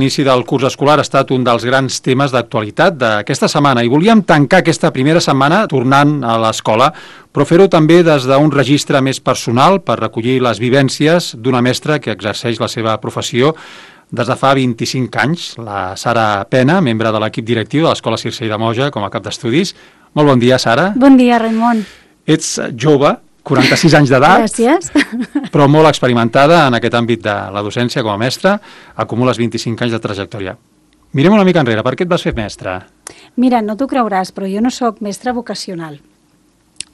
L'inici del curs escolar ha estat un dels grans temes d'actualitat d'aquesta setmana i volíem tancar aquesta primera setmana tornant a l'escola, però fer-ho també des d'un registre més personal per recollir les vivències d'una mestra que exerceix la seva professió des de fa 25 anys, la Sara Pena, membre de l'equip directiu de l'Escola Circell de Moja com a cap d'estudis. Molt bon dia, Sara. Bon dia, Raimon. Ets jove, 46 anys d'edat, gràcies, però molt experimentada en aquest àmbit de la docència com a mestra, acumules 25 anys de trajectòria. Mirem una mica enrere, per què et vas fer mestra? Mira, no t'ho creuràs, però jo no sóc mestra vocacional.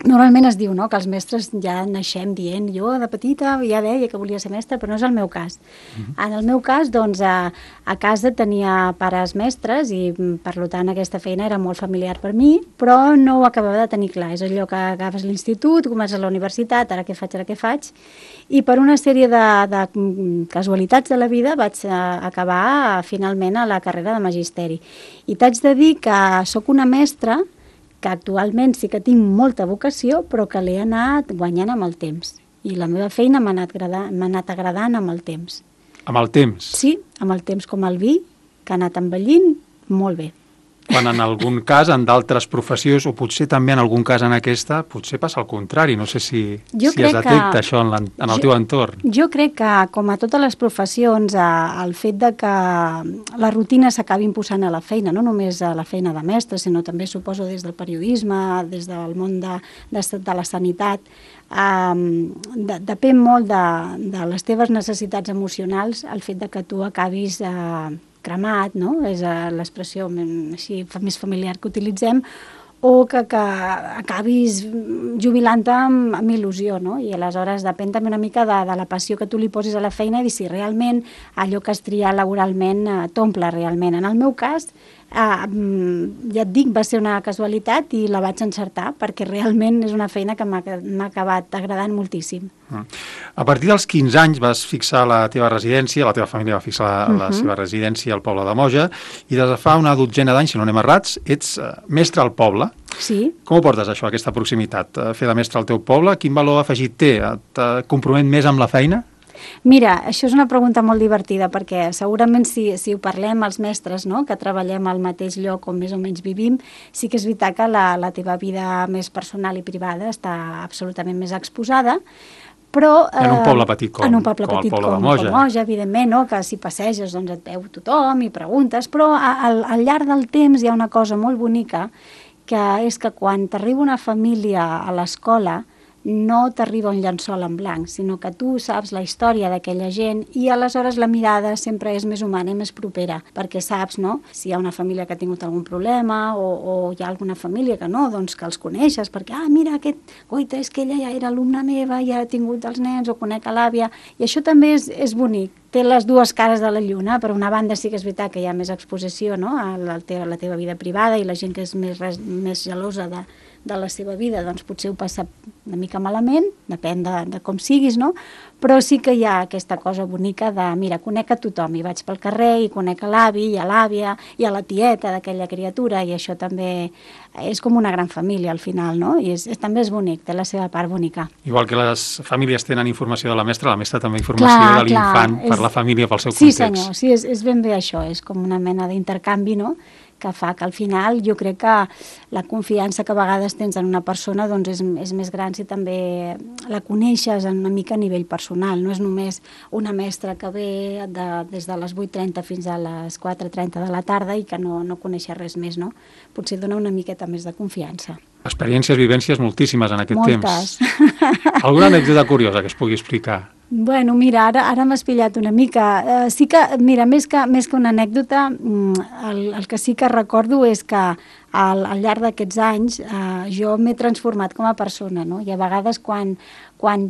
Normalment es diu, no?, que els mestres ja naixem dient, jo de petita ja deia que volia ser mestra, però no és el meu cas. En el meu cas, doncs, a casa tenia pares mestres i, per tant, aquesta feina era molt familiar per mi, però no ho acabava de tenir clar. És allò que agafes l'institut, comences la universitat, ara què faig? I per una sèrie de casualitats de la vida vaig acabar finalment a la carrera de magisteri. I t'haig de dir que sóc una mestra que actualment sí que tinc molta vocació, però que l'he anat guanyant amb el temps. I la meva feina m'ha anat agradant amb el temps. Amb el temps? Sí, amb el temps, com el vi, que ha anat envellint molt bé. Quan en algun cas, en d'altres professions, o potser també en algun cas en aquesta, potser passa el contrari. No sé si es detecta això en el teu entorn. Jo crec que, com a totes les professions, el fet de que la rutina s'acabi imposant a la feina, no només a la feina de mestre, sinó també, suposo, des del periodisme, des del món de la sanitat, depèn molt de les teves necessitats emocionals, el fet de que tu acabis cremat, no? És l'expressió així més familiar que utilitzem, o que acabis jubilant-te amb il·lusió, no? I aleshores depèn també una mica de la passió que tu li posis a la feina i si realment allò que has triat laboralment t'omple realment. En el meu cas, ja et dic, va ser una casualitat i la vaig encertar perquè realment és una feina que m'ha acabat agradant moltíssim. A partir dels 15 anys vas fixar la teva residència, la teva família va fixar la seva residència al poble de Moja i des de fa una dotzena d'anys, si no anem errats, ets mestre al poble. Sí. Com ho portes això, aquesta proximitat? Fer de mestre al teu poble, quin valor afegit té? Et compromet més amb la feina? Mira, això és una pregunta molt divertida perquè segurament si ho parlem els mestres, no?, que treballem al mateix lloc on més o menys vivim, sí que és veritat que la teva vida més personal i privada està absolutament més exposada, però en un poble petit com el poble de Moja. Com Moja, evidentment, no?, que si passeges doncs et veu tothom i preguntes, però al llarg del temps hi ha una cosa molt bonica que és que quan t'arriba una família a l'escola no t'arriba un llençol en blanc, sinó que tu saps la història d'aquella gent i aleshores la mirada sempre és més humana i més propera, perquè saps, no?, si hi ha una família que ha tingut algun problema o hi ha alguna família que no, doncs que els coneixes, perquè, mira, oita, és que ella ja era alumna meva, ja ha tingut els nens o conec a l'àvia, i això també és bonic. Té les dues cares de la lluna. Per una banda sí que és veritat que hi ha més exposició, no?, a la teva vida privada i la gent que és més gelosa de la seva vida, doncs potser ho passa una mica malament, depèn de com siguis, no? Però sí que hi ha aquesta cosa bonica de, mira, conec a tothom, i vaig pel carrer i conec a l'avi i a l'àvia i a la tieta d'aquella criatura, i això també és com una gran família al final, no? I també és bonic, té la seva part bonica. Igual que les famílies tenen informació de la mestra també informació de l'infant per la família, pel seu context. Sí, senyor, sí, és ben bé això, és com una mena d'intercanvi, no?, que fa que al final jo crec que la confiança que a vegades tens en una persona doncs és més gran si també la coneixes una mica a nivell personal. No és només una mestra que ve des de les 8:30 fins a les 4:30 de la tarda i que no coneixes res més, no? Potser dona una miqueta més de confiança. Experiències, vivències moltíssimes en aquest temps. Moltes. Alguna anècdota curiosa que es pugui explicar? Bueno, mira, ara m'has pillat una mica. Sí que, mira, més que una anècdota, el que sí que recordo és que al llarg d'aquests anys jo m'he transformat com a persona, no? I a vegades quan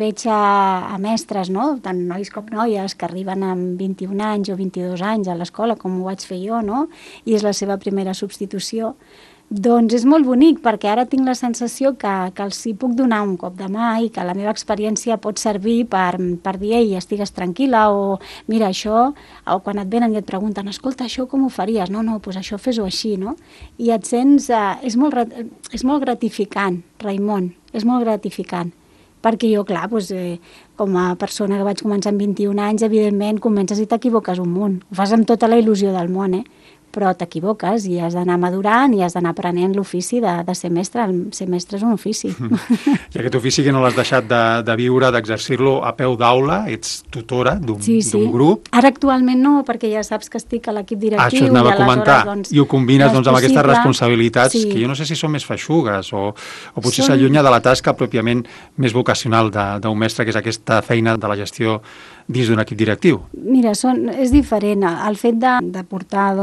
veig a mestres, no?, tant nois com noies, que arriben amb 21 anys o 22 anys a l'escola, com ho vaig fer jo, no?, i és la seva primera substitució, doncs és molt bonic, perquè ara tinc la sensació que els hi puc donar un cop de mà i que la meva experiència pot servir per dir, ei, estigues tranquil·la, o mira, això, o quan et venen i et pregunten, escolta, això com ho faries? No, doncs això fes-ho així, no? I et sents, és molt gratificant, Raimon, és molt gratificant. perquè jo, clar, doncs, com a persona que vaig començar amb 21 anys, evidentment comences i t'equivoques un munt. Ho fas amb tota la il·lusió del món, però t'equivoques i has d'anar madurant i has d'anar aprenent l'ofici de ser mestre. Ser mestre és un ofici. I aquest ofici que no l'has deixat de viure, d'exercir-lo a peu d'aula, ets tutora d'un grup. Ara actualment no, perquè ja saps que estic a l'equip directiu. Això anava a comentar, i ho combines amb aquestes responsabilitats que jo no sé si són més feixugues o potser s'allunya de la tasca pròpiament més vocacional d'un mestre, que és aquesta feina de la gestió dins d'un equip directiu. Mira, és diferent. El fet de portar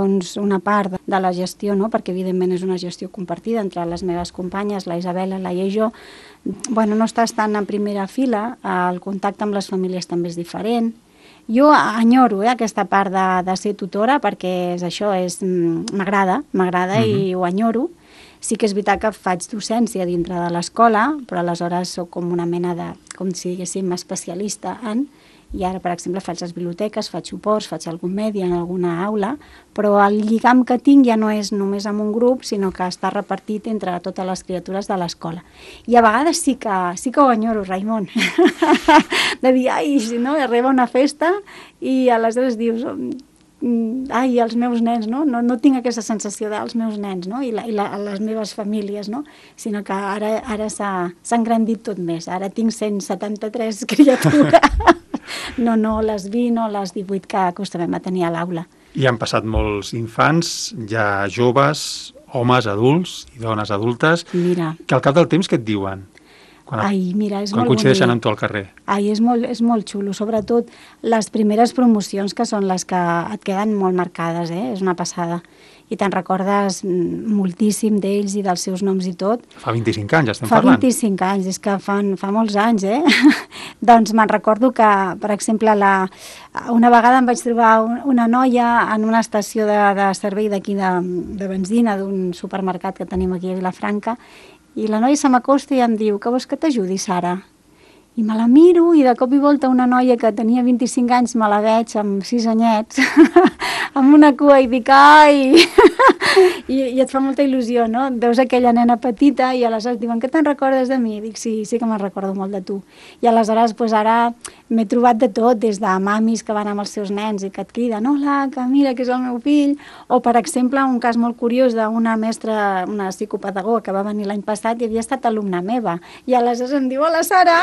una part de la gestió, perquè evidentment és una gestió compartida entre les meves companyes, la Isabel, la Laia i jo, no estàs tan en primera fila, el contacte amb les famílies també és diferent. Jo enyoro aquesta part de ser tutora perquè m'agrada i ho enyoro. Sí que és veritat que faig docència dintre de l'escola, però aleshores soc com una mena de, com si diguéssim, especialista en... I ara, per exemple, faig les biblioteques, faig suports, faig algun medi en alguna aula, però el lligam que tinc ja no és només amb un grup, sinó que està repartit entre totes les criatures de l'escola. I a vegades sí que ho enyoro, Raimon, de dir, si no, arriba una festa i aleshores dius... els meus nens, no tinc aquesta sensació dels meus nens, i les meves famílies, sinó que ara s'ha engrandit tot més. Ara tinc 173 criatures. No les 20 o les 18 que acostumem a tenir a l'aula. I han passat molts infants, ja joves, homes adults i dones adultes, que al cap del temps què et diuen? Quan coincideixen amb tu al carrer. És molt xulo, sobretot les primeres promocions, que són les que et queden molt marcades, és una passada. I te'n recordes moltíssim d'ells i dels seus noms i tot. Fa 25 anys estem parlant. Fa 25 anys, és que fa molts anys, Doncs me'n recordo que, per exemple, una vegada em vaig trobar una noia en una estació de servei d'aquí de benzina d'un supermercat que tenim aquí a Vilafranca, i la noia se m'acosta i em diu, que vols que t'ajudi, Sara? I me la miro i de cop i volta una noia que tenia 25 anys me la veig amb 6 anyets, amb una cua i dic, ai! I et fa molta il·lusió, no? Veus aquella nena petita i aleshores diuen, que te'n recordes de mi? I dic, sí que me'n recordo molt de tu. I aleshores, ara m'he trobat de tot, des de mamis que van amb els seus nens i que et criden, hola, que mira que és el meu fill, o per exemple, un cas molt curiós d'una mestra, una psicopedagoga que va venir l'any passat i havia estat alumna meva, i aleshores em diu, hola, Sara,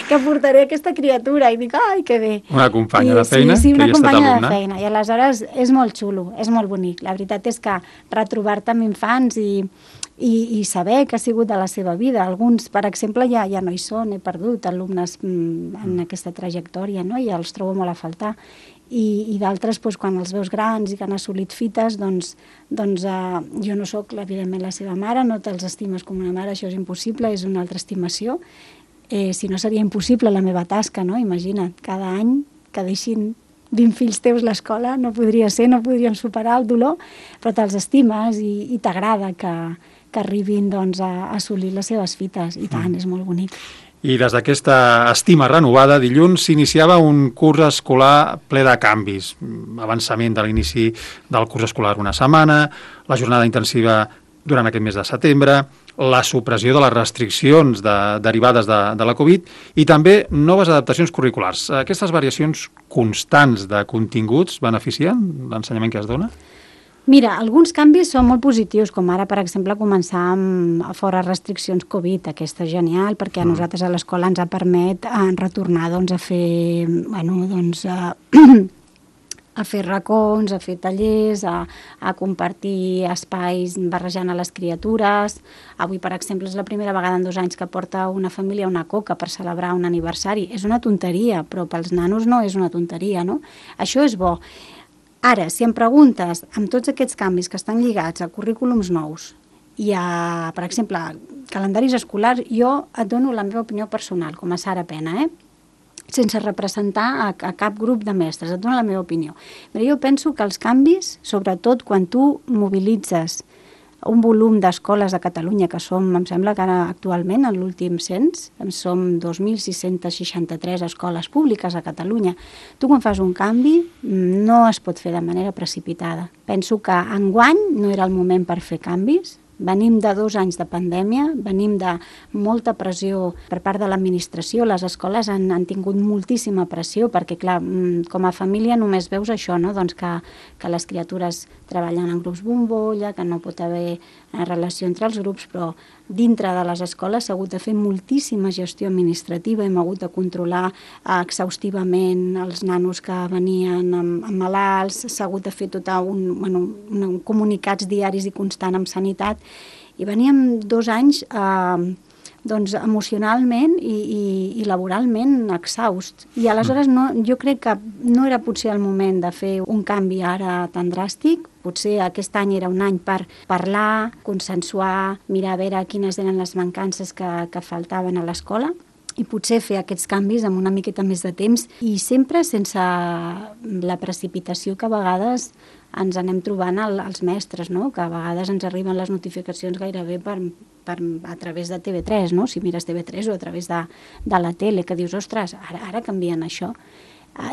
que portaré aquesta criatura, i dic, ai, que bé. Una companya de feina que hi ha estat alumna. Sí, una companya de feina, i aleshores és molt xulo, és molt bonic. La veritat és que retrobar-te amb infants i saber que ha sigut de la seva vida. Alguns, per exemple, ja no hi són, he perdut alumnes en aquesta trajectòria, i els trobo molt a faltar. I d'altres, quan els veus grans i que han assolit fites, doncs jo no sóc, evidentment, la seva mare, no te'ls estimes com una mare, això és impossible, és una altra estimació. Si no, seria impossible la meva tasca, no? Imagina't, cada any que deixin 20 fills teus l'escola, no podria ser, no podríem superar el dolor, però te'ls estimes i t'agrada que arribin a assolir les seves fites, i tant, és molt bonic. I des d'aquesta estima renovada, dilluns s'iniciava un curs escolar ple de canvis. Avançament de l'inici del curs escolar una setmana, la jornada intensiva durant aquest mes de setembre, la supressió de les restriccions derivades de la Covid i també noves adaptacions curriculars. Aquestes variacions constants de continguts beneficien l'ensenyament que es dona? Mira, alguns canvis són molt positius, com ara, per exemple, començar amb fora restriccions Covid. Aquesta és genial, perquè a nosaltres a l'escola ens ha permet retornar a fer, a fer racons, a fer tallers, a compartir espais barrejant a les criatures. Avui, per exemple, és la primera vegada en 2 anys que porta una família una coca per celebrar un aniversari. És una tonteria, però pels nanos no és una tonteria, no? Això és bo. Ara, si em preguntes, amb tots aquests canvis que estan lligats a currículums nous i a, per exemple, calendaris escolars, jo et dono la meva opinió personal, com a Sara Pena, sense representar a cap grup de mestres, et dono la meva opinió. Però jo penso que els canvis, sobretot quan tu mobilitzes un volum d'escoles a Catalunya, que som, em sembla que ara actualment, en l'últim cens, som 2.663 escoles públiques a Catalunya. Tu quan fas un canvi no es pot fer de manera precipitada. Penso que enguany no era el moment per fer canvis, Venim de 2 anys de pandèmia, venim de molta pressió per part de l'administració, les escoles han tingut moltíssima pressió perquè, clar, com a família només veus això, no? Doncs que les criatures treballen en grups bombolla, que no pot haver relació entre els grups, però dintre de les escoles s'ha hagut de fer moltíssima gestió administrativa, hem hagut de controlar exhaustivament els nanos que venien amb malalts, s'ha hagut de fer comunicats diaris i constant amb sanitat, i veníem 2 anys doncs emocionalment i laboralment exhaust. I aleshores jo crec que no era potser el moment de fer un canvi ara tan dràstic. Potser aquest any era un any per parlar, consensuar, mirar a veure quines eren les mancances que faltaven a l'escola i potser fer aquests canvis amb una miqueta més de temps i sempre sense la precipitació que a vegades ens anem trobant els mestres, no? Que a vegades ens arriben les notificacions gairebé a través de TV3, no? Si mires TV3 o a través de la tele, que dius, ostres, ara canvien això.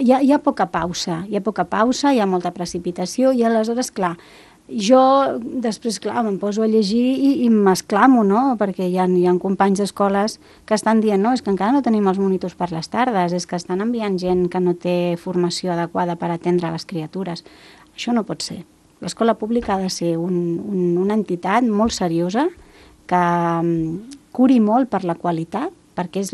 Hi ha poca pausa, hi ha molta precipitació i aleshores, clar, jo després, clar, me'n poso a llegir i m'esclamo, no? Perquè hi ha companys d'escoles que estan dient, no, és que encara no tenim els monitors per les tardes, és que estan enviant gent que no té formació adequada per atendre les criatures. Això no pot ser. L'escola pública ha de ser una entitat molt seriosa que curi molt per la qualitat, perquè és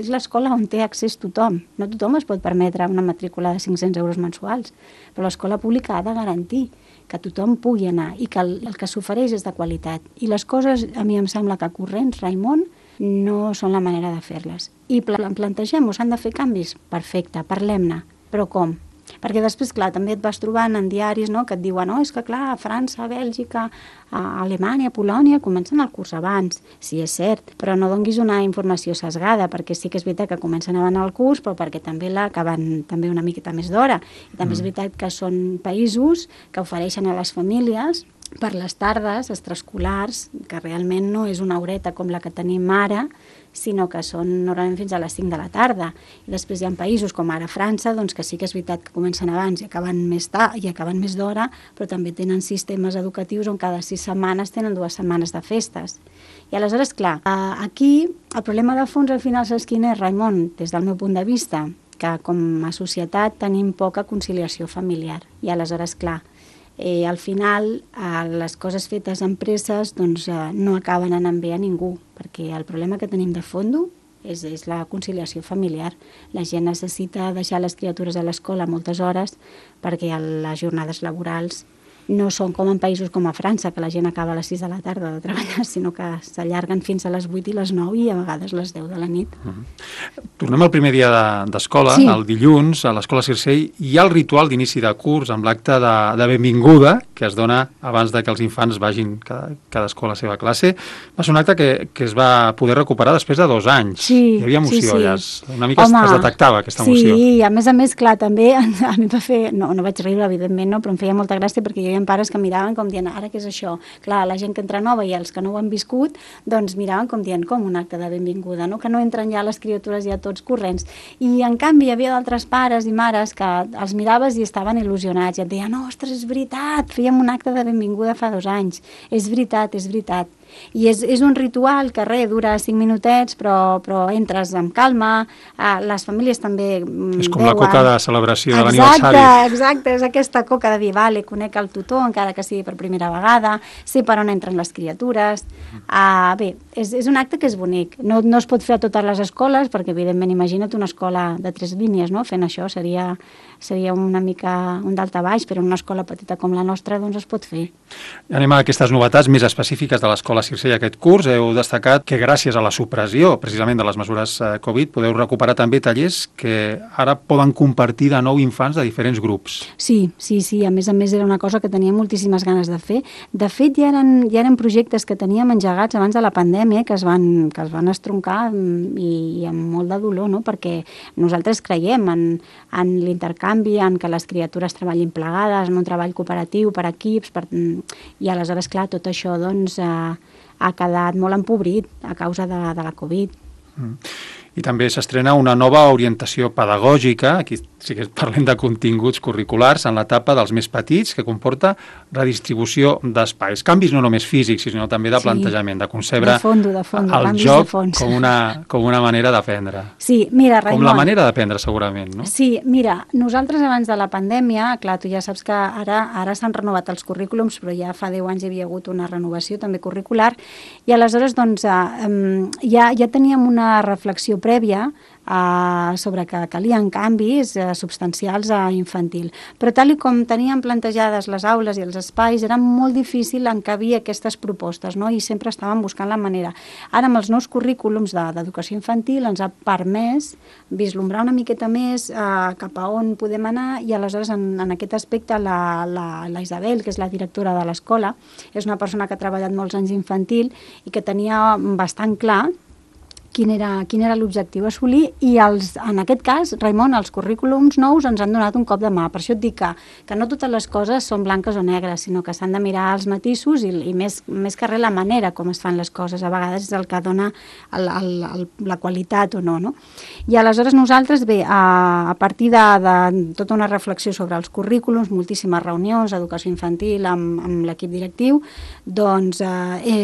l'escola on té accés tothom. No tothom es pot permetre una matrícula de 500 euros mensuals, però l'escola pública ha de garantir que tothom pugui anar i que el que s'ofereix és de qualitat. I les coses, a mi em sembla que corrents, Raimon, no són la manera de fer-les. I plantegem-ho, s'han de fer canvis? Perfecte, parlem-ne. Però com? Perquè després, clar, també et vas trobant en diaris, no?, que et diuen, no, és que clar, a França, a Bèlgica, a Alemanya, a Polònia, comencen el curs abans. Sí, és cert, però no donguis una informació sesgada, perquè sí que és veritat que comencen abans el curs, però perquè també l'acaben també una miqueta més d'hora. I també és veritat que són països que ofereixen a les famílies per les tardes extraescolars, que realment no és una horeta com la que tenim ara, sinó que són normalment fins a les 5 de la tarda. I després hi ha països com ara França, doncs que sí que és veritat que comencen abans i acaben més tard i acaben més d'hora, però també tenen sistemes educatius on cada 6 setmanes tenen 2 setmanes de festes. I aleshores, clar, aquí el problema de fons al final saps quin és, Raimon, des del meu punt de vista, que com a societat tenim poca conciliació familiar. I aleshores, clar, al final les coses fetes amb presses doncs, no acaben anant bé a ningú, perquè el problema que tenim de fons és la conciliació familiar. La gent necessita deixar les criatures a l'escola moltes hores perquè les jornades laborals no són com en països com a França, que la gent acaba a les 6 de la tarda de treballar, sinó que s'allarguen fins a les 8 i les 9 i a vegades les 10 de la nit. Tornem al primer dia d'escola, el dilluns, a l'escola Circell. Hi ha el ritual d'inici de curs amb l'acte de benvinguda que es dona abans de que els infants vagin cadascú a la seva classe. Va ser un acte que es va poder recuperar després de 2 anys. Sí, hi havia emoció, sí. Ja una mica es detectava aquesta emoció. Sí, a més, clar, també a mi va fer... No vaig riure, evidentment, no, però em feia molta gràcia perquè hi havia pares que miraven com dient, ara què és això? Clar, la gent que entra nova i els que no ho han viscut, doncs miraven com dient, com un acte de benvinguda, no? Que no entren ja les criatures ja tots corrents. I en canvi hi havia d'altres pares i mares que els miraves i estaven il·lusionats i et deien, ostres, és veritat, fèiem un acte de benvinguda fa 2 anys. És veritat, és veritat. I és un ritual que dura 5 minutets, però entres amb calma, les famílies també és com veuen... la coca de celebració de l'aniversari. Exacte, és aquesta coca de dir, vale, conec el tutor, encara que sigui per primera vegada, sé per on entren les criatures. Bé, és un acte que és bonic. No es pot fer a totes les escoles, perquè evidentment imagina't una escola de 3 línies, no? Fent això seria una mica un daltabaix, però en una escola petita com la nostra doncs es pot fer. Anem a aquestes novetats més específiques de l'escola Circell aquest curs. Heu destacat que gràcies a la supressió precisament de les mesures Covid podeu recuperar també tallers que ara poden compartir de nou infants de diferents grups. Sí, a més era una cosa que tenia moltíssimes ganes de fer. De fet, ja eren projectes que teníem engegats abans de la pandèmia que es van estroncar i amb molt de dolor, no? Perquè nosaltres creiem en l'intercanvi, en que les criatures treballin plegades, en un treball cooperatiu per equips, i aleshores, clar, tot això doncs ha quedat molt empobrit a causa de la Covid. I també s'estrena una nova orientació pedagògica, aquí sí que parlem de continguts curriculars, en l'etapa dels més petits, que comporta redistribució d'espais. Canvis no només físics, sinó també de plantejament, de concebre el joc com una manera d'aprendre. Sí, mira, Raimon... Com la manera d'aprendre, segurament, no? Sí, mira, nosaltres abans de la pandèmia, clar, tu ja saps que ara s'han renovat els currículums, però ja fa 10 anys hi havia hagut una renovació també curricular, i aleshores doncs ja teníem una reflexió prèvia sobre que calien canvis substancials a infantil. Però tal com teníem plantejades les aules i els espais, era molt difícil encabir aquestes propostes, no? I sempre estàvem buscant la manera. Ara, amb els nous currículums d'educació infantil, ens ha permès vislumbrar una miqueta més cap a on podem anar, i aleshores en aquest aspecte la Isabel, que és la directora de l'escola, és una persona que ha treballat molts anys infantil i que tenia bastant clar quin era l'objectiu a assolir, i en aquest cas, Raimon, els currículums nous ens han donat un cop de mà. Per això et dic que no totes les coses són blanques o negres, sinó que s'han de mirar els matisos i més que res la manera com es fan les coses. A vegades és el que dona la qualitat o no, no? I aleshores nosaltres, bé, a partir de tota una reflexió sobre els currículums, moltíssimes reunions, educació infantil amb l'equip directiu, doncs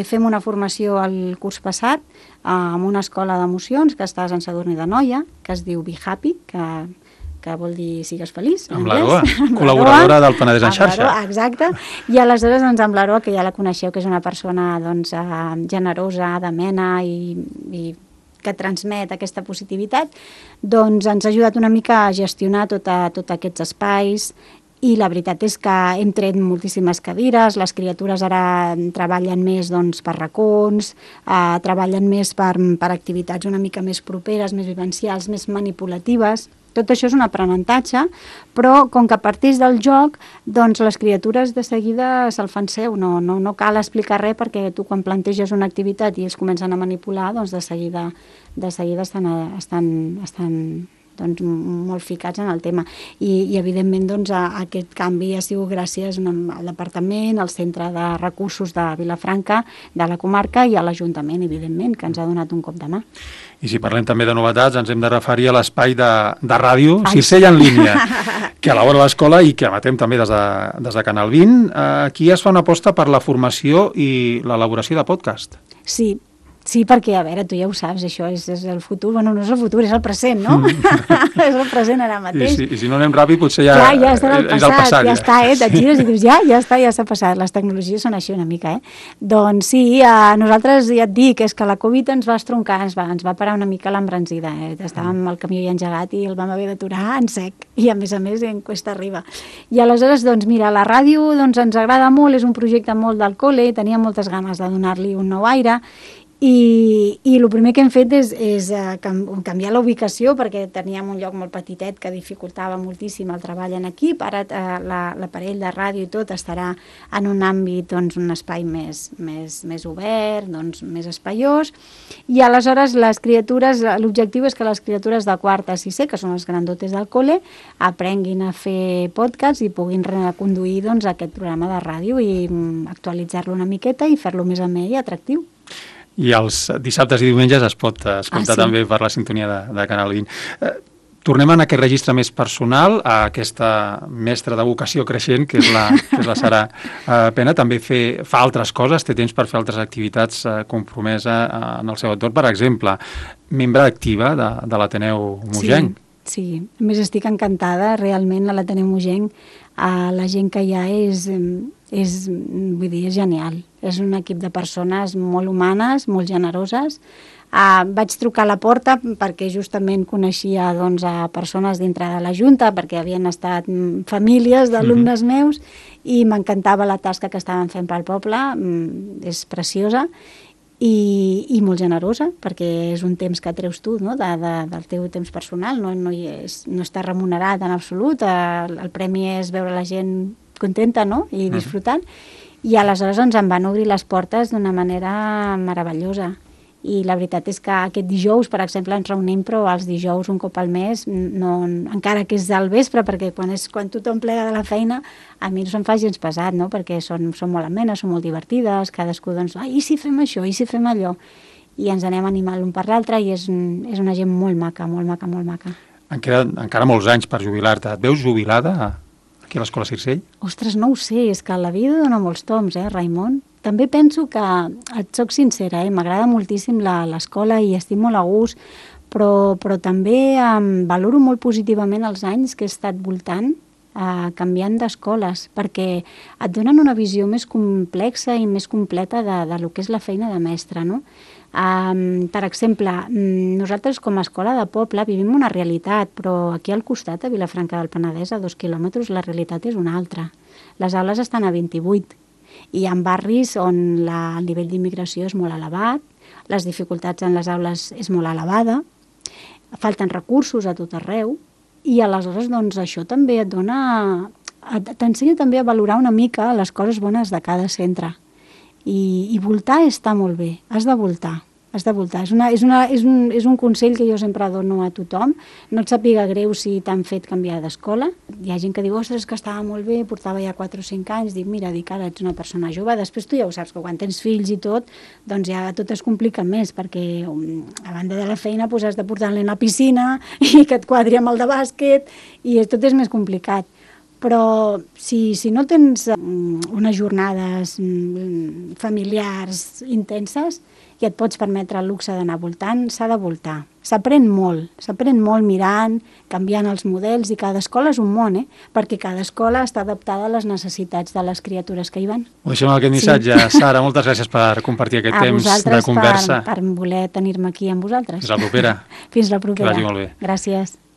fem una formació el curs passat amb una escola d'emocions que està a Sant Sadurní d'Anoia, que es diu Be Happy, que vol dir sigues feliç. Amb l'Aroa, col·laboradora del Penedès en xarxa. Exacte. I aleshores amb l'Aroa, que ja la coneixeu, que és una persona generosa, d'amena i que transmet aquesta positivitat, doncs ens ha ajudat una mica a gestionar tots aquests espais. I la veritat és que hem tret moltíssimes cadires, les criatures ara treballen més per racons, treballen més per activitats una mica més properes, més vivencials, més manipulatives. Tot això és un aprenentatge, però com que parteix del joc, doncs les criatures de seguida se'l fan seu, no cal explicar res, perquè tu quan planteges una activitat i ells comencen a manipular, doncs de seguida estan molt ficats en el tema. I evidentment aquest canvi ha sigut gràcies al departament, al centre de recursos de Vilafranca, de la comarca, i a l'Ajuntament, evidentment, que ens ha donat un cop de mà. I si parlem també de novetats, ens hem de referir a l'espai de ràdio, Circell en línia, que elabora l'escola i que emetem també des de Canal 20. Aquí es fa una aposta per la formació i l'elaboració de podcast. Sí, perquè, a veure, tu ja ho saps, això és el futur, bueno, no és el futur, és el present, no? És el present ara mateix. I si no anem ràpid, potser ja estarà el passat, ja està, et gires i dius, ja està, ja s'ha passat, les tecnologies són així una mica, Doncs sí, nosaltres ja et dic, és que la Covid ens va estroncar, ens va parar una mica l'embranzida, estàvem al camió ja engegat i el vam haver d'aturar en sec, i a més en cuesta arriba. I aleshores, doncs mira, la ràdio ens agrada molt, és un projecte molt del col·le, tenia moltes ganes de donar-li un nou aire, i el primer que hem fet és canviar la ubicació, perquè teníem un lloc molt petitet que dificultava moltíssim el treball en equip. Ara l'aparell de ràdio i tot estarà en un àmbit, un espai més obert, més espaiós, i aleshores l'objectiu és que les criatures de quart a sisè, que són els grandotes del col·le, aprenguin a fer podcast i puguin reconduir aquest programa de ràdio i actualitzar-lo una miqueta i fer-lo més amè i atractiu. I els dissabtes i diumenges es pot escoltar també per la sintonia de Canal 20. Tornem en aquest registre més personal, a aquesta mestra de vocació creixent, que és la Sara Pena. També fa altres coses, té temps per fer altres activitats compromesa en el seu entorn. Per exemple, membre activa de l'Ateneu Mogenc. Sí, a més estic encantada, realment a l'Ateneu Mogenc la gent que hi ha és genial. És un equip de persones molt humanes, molt generoses. Vaig trucar a la porta perquè justament coneixia a persones dintre de la Junta, perquè havien estat famílies d'alumnes meus, i m'encantava la tasca que estaven fent pel poble, és preciosa. I molt generosa, perquè és un temps que treus tu, no? Del teu temps personal, no està remunerat en absolut, el premi és veure la gent contenta, no? I disfrutant, i aleshores em van obrir les portes d'una manera meravellosa. I la veritat és que aquest dijous, per exemple, ens reunim, però els dijous un cop al mes, encara que és al vespre, perquè quan tothom plega de la feina, a mi no se'm fa gens pesat, no? Perquè són molt amenes, són molt divertides, cadascú i si fem això, i si fem allò. i ens anem animant l'un per l'altre i és una gent molt maca, molt maca, molt maca. En queden encara molts anys per jubilar-te. Et veus jubilada aquí a l'Escola Circell? Ostres, no ho sé, és que la vida dona molts toms, Raimon? També penso que, et soc sincera, m'agrada moltíssim l'escola i estic molt a gust, però també valoro molt positivament els anys que he estat voltant, canviant d'escoles, perquè et donen una visió més complexa i més completa de lo que és la feina de mestre, no? Per exemple, nosaltres com a escola de poble vivim una realitat, però aquí al costat, a Vilafranca del Penedès, a 2 quilòmetres, la realitat és una altra. Les aules estan a 28 i hi ha barris on el nivell d'immigració és molt elevat, les dificultats en les aules és molt elevada, falten recursos a tot arreu, i aleshores doncs, això també t'ensenya també a valorar una mica les coses bones de cada centre. I voltar està molt bé, has de voltar. És un consell que jo sempre dono a tothom. No et sàpiga greu si t'han fet canviar d'escola. Hi ha gent que diu, ostres, que estava molt bé, portava ja 4 o 5 anys. Dic, mira, ara ets una persona jove. Després tu ja ho saps, que quan tens fills i tot, doncs ja tot es complica més, perquè a banda de la feina has de portar-li a la piscina i que et quadri amb el de bàsquet, i tot és més complicat. Però si no tens unes jornades familiars intenses i et pots permetre el luxe d'anar voltant, s'ha de voltar. S'aprèn molt mirant, canviant els models, i cada escola és un món, perquè cada escola està adaptada a les necessitats de les criatures que hi van. Ho deixem amb aquest missatge. Sí. Sara, moltes gràcies per compartir aquest temps de conversa. Per voler tenir-me aquí amb vosaltres. Fins la propera. Fins la propera. Que vagi molt bé. Gràcies.